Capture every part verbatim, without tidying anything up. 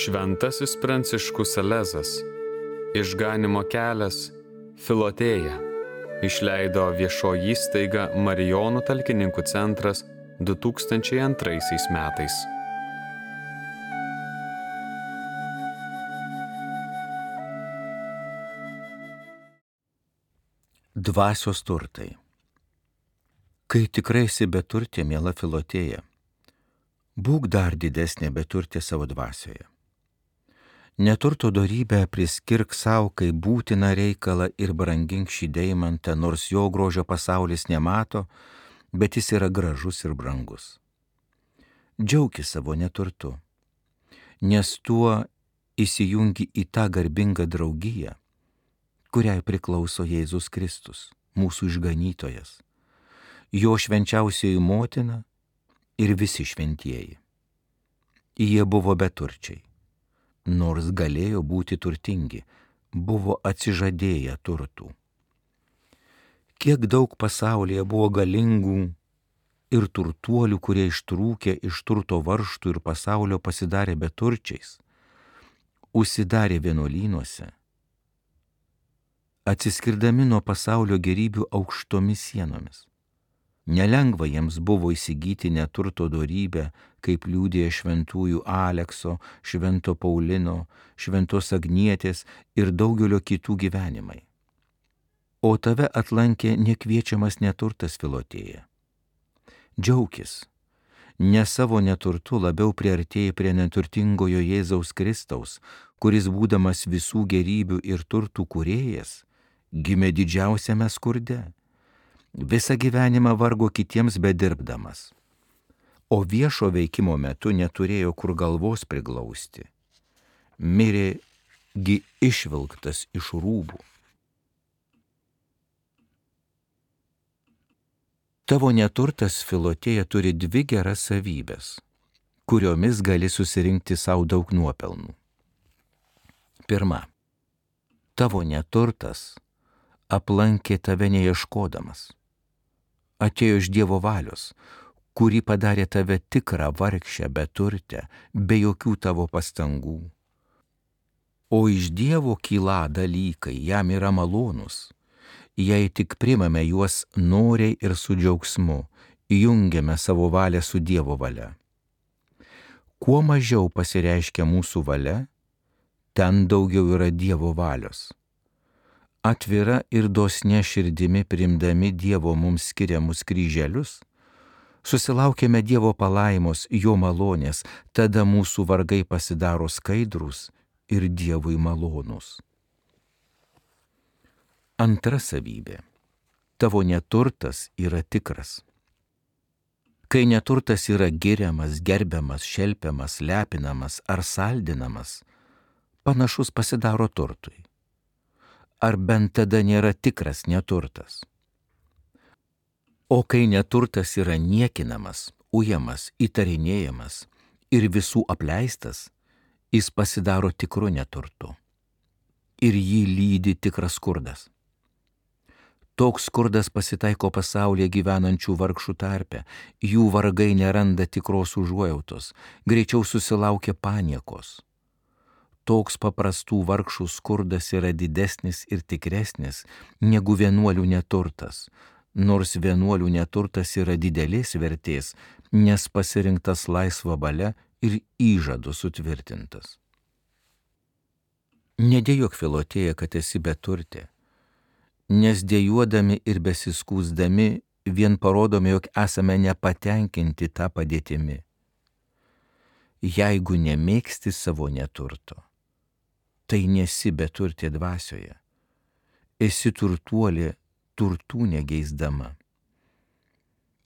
Šventasis Pranciškus Salezas, Išganymo kelias, Filotėja, išleido viešoji įstaiga Marijonų talkininkų centras du tūkstančiai antraisiais metais. Dvasios turtai. Kai tikrai esi beturtė, miela Filotėja, būk dar didesnė beturtė savo dvasioje. Neturto dorybę priskirk savo kaip būtiną reikalą ir brangink šį deimantą, nors jo grožio pasaulis nemato, bet jis yra gražus ir brangus. Džiaukis savo neturtu, nes tuo įsijungi į tą garbingą draugiją, kuriai priklauso Jėzus Kristus, mūsų išganytojas, jo švenčiausioji motina ir visi šventieji. Jie buvo beturčiai, nors galėjo būti turtingi, buvo atsižadėję turtų. Kiek daug pasaulyje buvo galingų ir turtuolių, kurie ištrūkė iš turto varžtų ir pasaulio pasidarė beturčiais, užsidarė vienuolynuose, atsiskirdami nuo pasaulio gerybių aukštomis sienomis. Nelengva jiems buvo įsigyti neturto dorybę, kaip liudija šventųjų Alekso, švento Paulino, šventos Agnietės ir daugelio kitų gyvenimai. O tave atlankė nekviečiamas neturtas, Filotėja. Džiaukis, ne savo neturtu labiau priartėjai prie neturtingojo Jėzaus Kristaus, kuris būdamas visų gerybių ir turtų kūrėjas, gimė didžiausiame skurde. Visą gyvenimą vargo kitiems bedirbdamas, o viešo veikimo metu neturėjo kur galvos priglausti. Mirė gi išvilktas iš rūbų. Tavo neturtas, Filotėja, turi dvi geras savybės, kuriomis gali susirinkti savo daug nuopelnų. Pirma, tavo neturtas aplankė tave neieškodamas. Atėjo iš Dievo valios, kuri padarė tave tikrą vargšę beturtę, be jokių tavo pastangų. O iš Dievo kyla dalykai, jam yra malonūs, jei tik primame juos noriai ir su džiaugsmu, jungiame savo valią su Dievo valia. Kuo mažiau pasireiškia mūsų valia, ten daugiau yra Dievo valios. Atvira ir dosne širdimi priimdami Dievo mums skiriamus kryželius, susilaukėme Dievo palaimos, jo malonės, tada mūsų vargai pasidaro skaidrūs ir Dievui malonūs. Antra savybė. Tavo neturtas yra tikras. Kai neturtas yra giriamas, gerbiamas, šelpiamas, lepinamas ar saldinamas, panašus pasidaro turtui. Ar bent tada nėra tikras neturtas? O kai neturtas yra niekinamas, ujamas, įtarinėjamas ir visų apleistas, jis pasidaro tikru neturtu. Ir jį lydi tikras skurdas. Toks skurdas pasitaiko pasaulyje gyvenančių vargšų tarpe, jų vargai neranda tikros užuojautos, greičiau susilaukia paniekos. Toks paprastų vargšų skurdas yra didesnis ir tikresnis negu vienuolių neturtas, nors vienuolių neturtas yra didelės vertės, nes pasirinktas laisva valia ir įžadu sutvirtintas. Nedėjok, Filotėja, kad esi beturtė, nes dėjuodami ir besiskųsdami vien parodome, jog esame nepatenkinti tą padėtimi. Jeigu nemėgsti savo neturto, tai nesi beturtė dvasioje, esi turtuolė turtų negeisdama.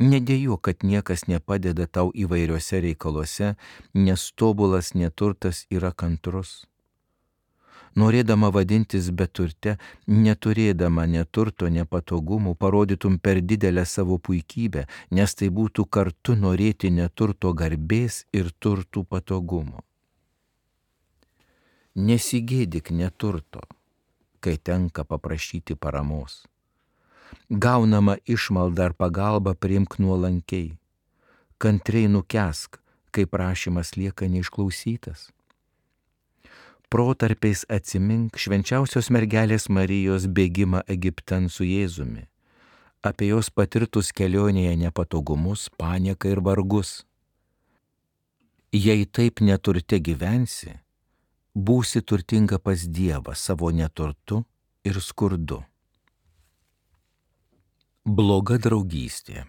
Nedėjau, kad niekas nepadeda tau įvairiuose reikaluose, nes tobulas neturtas yra kantrus. Norėdama vadintis beturte, neturėdama neturto nepatogumų, parodytum per didelę savo puikybę, nes tai būtų kartu norėti neturto garbės ir turtų patogumo. Nesigėdik neturto, kai tenka paprašyti paramos. Gaunama išmalda ar pagalba priimk nuolankiai. Kantriai nukęsk, kai prašymas lieka neišklausytas. protarpiais atsimink švenčiausios mergelės Marijos bėgimą Egiptan su Jėzumi, apie jos patirtus kelionėje nepatogumus, panieką ir vargus. Jei taip neturte gyvensi, būsi turtinga pas Dievą savo neturtu ir skurdu. Bloga draugystė.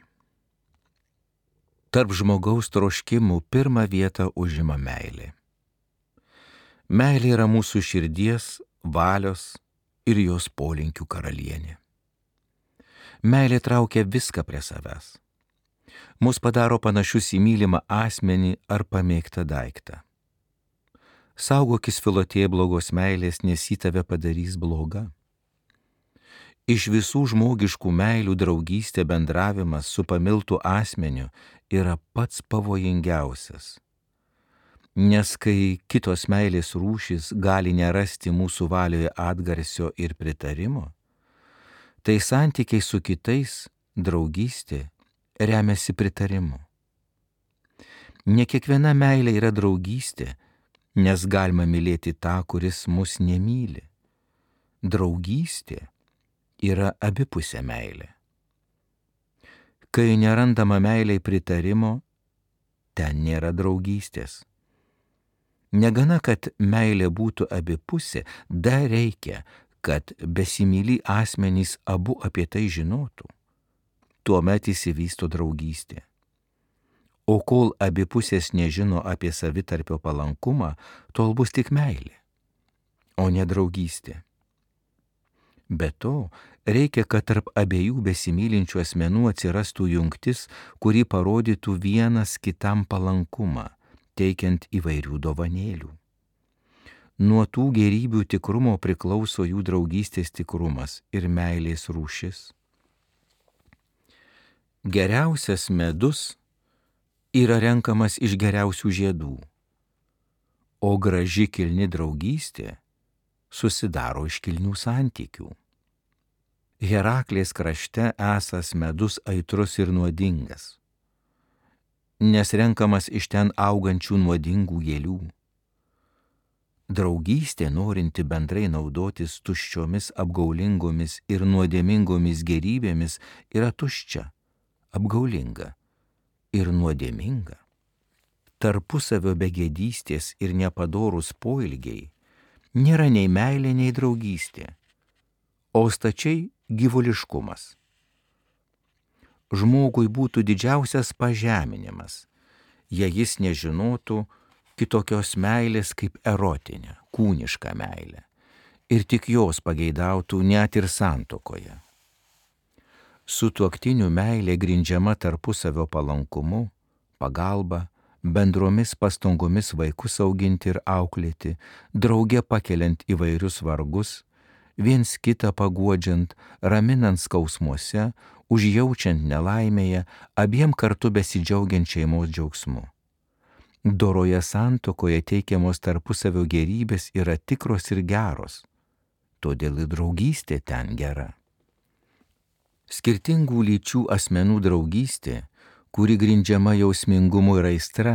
Tarp žmogaus troškimų pirmą vietą užima meilė. Meilė yra mūsų širdies, valios ir jos polinkių karalienė. Meilė traukia viską prie savęs. Mus padaro panašius į mylimą asmenį ar pamėgtą daiktą. Saugokis Filotėja blogos meilės, nes ji tave padarys bloga. Iš visų žmogiškų meilių draugystė, bendravimas su pamiltu asmeniu yra pats pavojingiausias. Nes kai kitos meilės rūšys gali nerasti mūsų valioje atgarsio ir pritarimo, tai santykiai su kitais, draugystė, remiasi pritarimu. Ne kiekviena meilė yra draugystė, nes galima mylėti tą, kuris mus nemyli. Draugystė yra abipusė meilė. Kai nerandama meiliai pritarimo, ten nėra draugystės. Negana, kad meilė būtų abipusė, dar reikia, kad besimyli asmenys abu apie tai žinotų. Tuomet įsivysto draugystė. O kol abi pusės nežino apie savitarpio palankumą, tol bus tik meilė, o ne draugystė. Be to, reikia, kad tarp abiejų besimylinčių asmenų atsirastų jungtis, kuri parodytų vienas kitam palankumą, teikiant įvairių dovanėlių. Nuo tų gėrybių tikrumo priklauso jų draugystės tikrumas ir meilės rūšis. Geriausias medus yra renkamas iš geriausių žiedų, o graži kilni draugystė susidaro iš kilnių santykių. Heraklės krašte esąs medus aitrus ir nuodingas, nes renkamas iš ten augančių nuodingų gėlių. Draugystė, norinti bendrai naudotis tuščiomis, apgaulingomis ir nuodėmingomis gėrybėmis, yra tuščia, apgaulinga ir nuodėminga. Tarpusavio begėdystės ir nepadorūs poilgiai nėra nei meilė, nei draugystė, o stačiai gyvuliškumas. Žmogui būtų didžiausias pažeminimas, jei jis nežinotų kitokios meilės kaip erotinė, kūniška meilė, ir tik jos pageidautų net ir santuokoje. Sutuoktinių meilė grindžiama tarpusavio palankumu, pagalba, bendromis pastangomis vaikus auginti ir auklėti, drauge pakeliant įvairius vargus, viens kitą paguodžiant, raminant skausmuose, užjaučiant nelaimėje, abiem kartu besidžiaugiant šeimos džiaugsmu. Doroje santuokoje teikiamos tarpusavio gėrybės yra tikros ir geros, todėl ir draugystė ten gera. Skirtingų lyčių asmenų draugystė, kuri grindžiama jausmingumu ir aistra,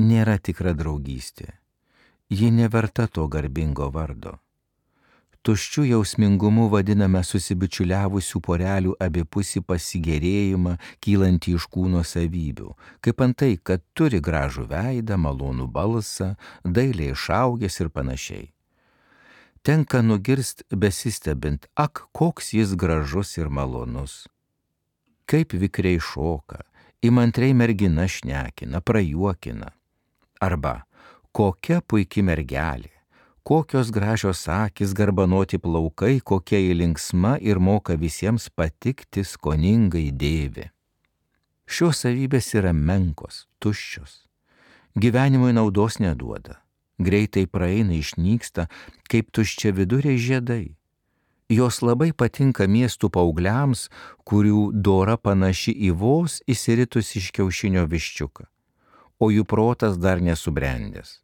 nėra tikra draugystė. Ji neverta to garbingo vardo. Tuščiu jausmingumu vadiname susibičiuliavusių porelių abipusį pasigėrėjimą, kylantį iš kūno savybių, kaip antai, kad turi gražų veidą, malonų balsą, dailiai išaugęs ir panašiai. Tenka nugirst besistebint, ak, koks jis gražus ir malonus. Kaip vikriai šoka, įmantriai mergina šnekina, prajuokina. Arba, kokia puiki mergelė, kokios gražios akys, garbanoti plaukai, kokia ji linksma ir moka visiems patikti, skoningai dėvi. Šios savybės yra menkos, tuščios. Gyvenimui naudos neduoda. Greitai praeina, išnyksta, kaip tuščia viduriai žiedai. Jos labai patinka miestų paaugliams, kurių dora panaši į vos įsiritus iš kiaušinio viščiuką, o jų protas dar nesubrendęs.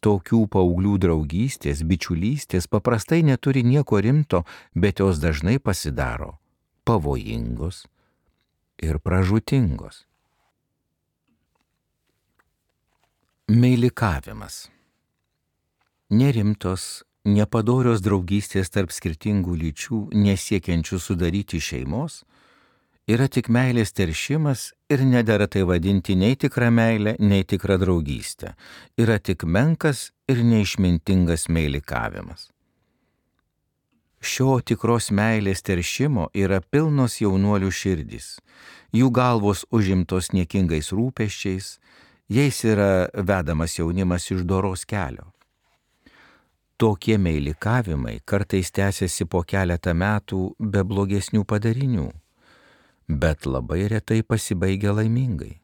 Tokių paauglių draugystės, bičiulystės paprastai neturi nieko rimto, bet jos dažnai pasidaro pavojingos ir pražūtingos. Meilikavimas. Nerimtos, nepadorios draugystės tarp skirtingų lyčių, nesiekiančių sudaryti šeimos, yra tik meilės teršimas ir nedera tai vadinti nei tikra meilė, nei tikra draugystė. Yra tik menkas ir neišmintingas meilikavimas. Šio tikros meilės teršimo yra pilnos jaunuolių širdys. Jų galvos užimtos niekingais rūpesčiais, jais yra vedamas jaunimas iš doros kelio. Tokie meilikavimai kartais tęsiasi po keletą metų be blogesnių padarinių, bet labai retai pasibaigia laimingai.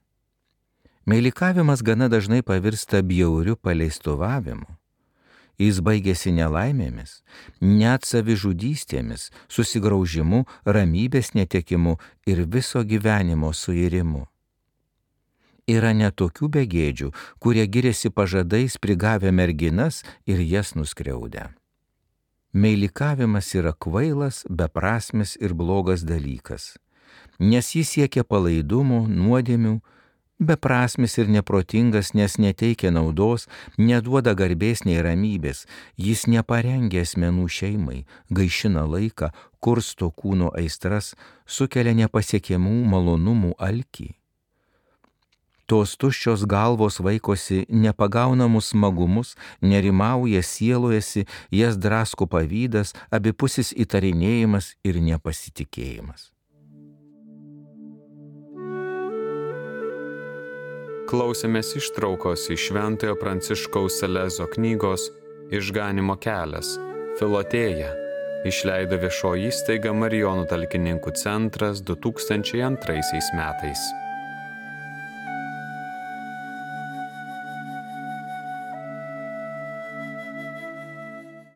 Meilikavimas gana dažnai pavirsta bjauriu paleistuvavimu. Jis baigėsi nelaimėmis, net savižudystėmis, susigraužimu, ramybės netekimu ir viso gyvenimo suirimu. Yra net tokių begėdžių, kurie giriasi pažadais prigavę merginas ir jas nuskriaudę. Meilikavimas yra kvailas, beprasmis ir blogas dalykas, nes jis siekia palaidumo, nuodėmių, beprasmis ir neprotingas, nes neteikia naudos, neduoda garbės nei ramybės, jis neparengia asmenų šeimai, gaišina laiką, kursto kūno aistras, sukelia nepasiekiamų malonumų alkį. Tos tuščios galvos vaikosi nepagaunamus smagumus, nerimauja, sielojasi, jas drasko pavydas, abipusis įtarinėjimas ir nepasitikėjimas. Klausėmės ištraukos iš Šventojo Pranciškaus Salezo knygos Išganymo kelias – Filotėja, išleido viešoji įstaiga Marijonų talkininkų centras du tūkstančiai antraisiais metais.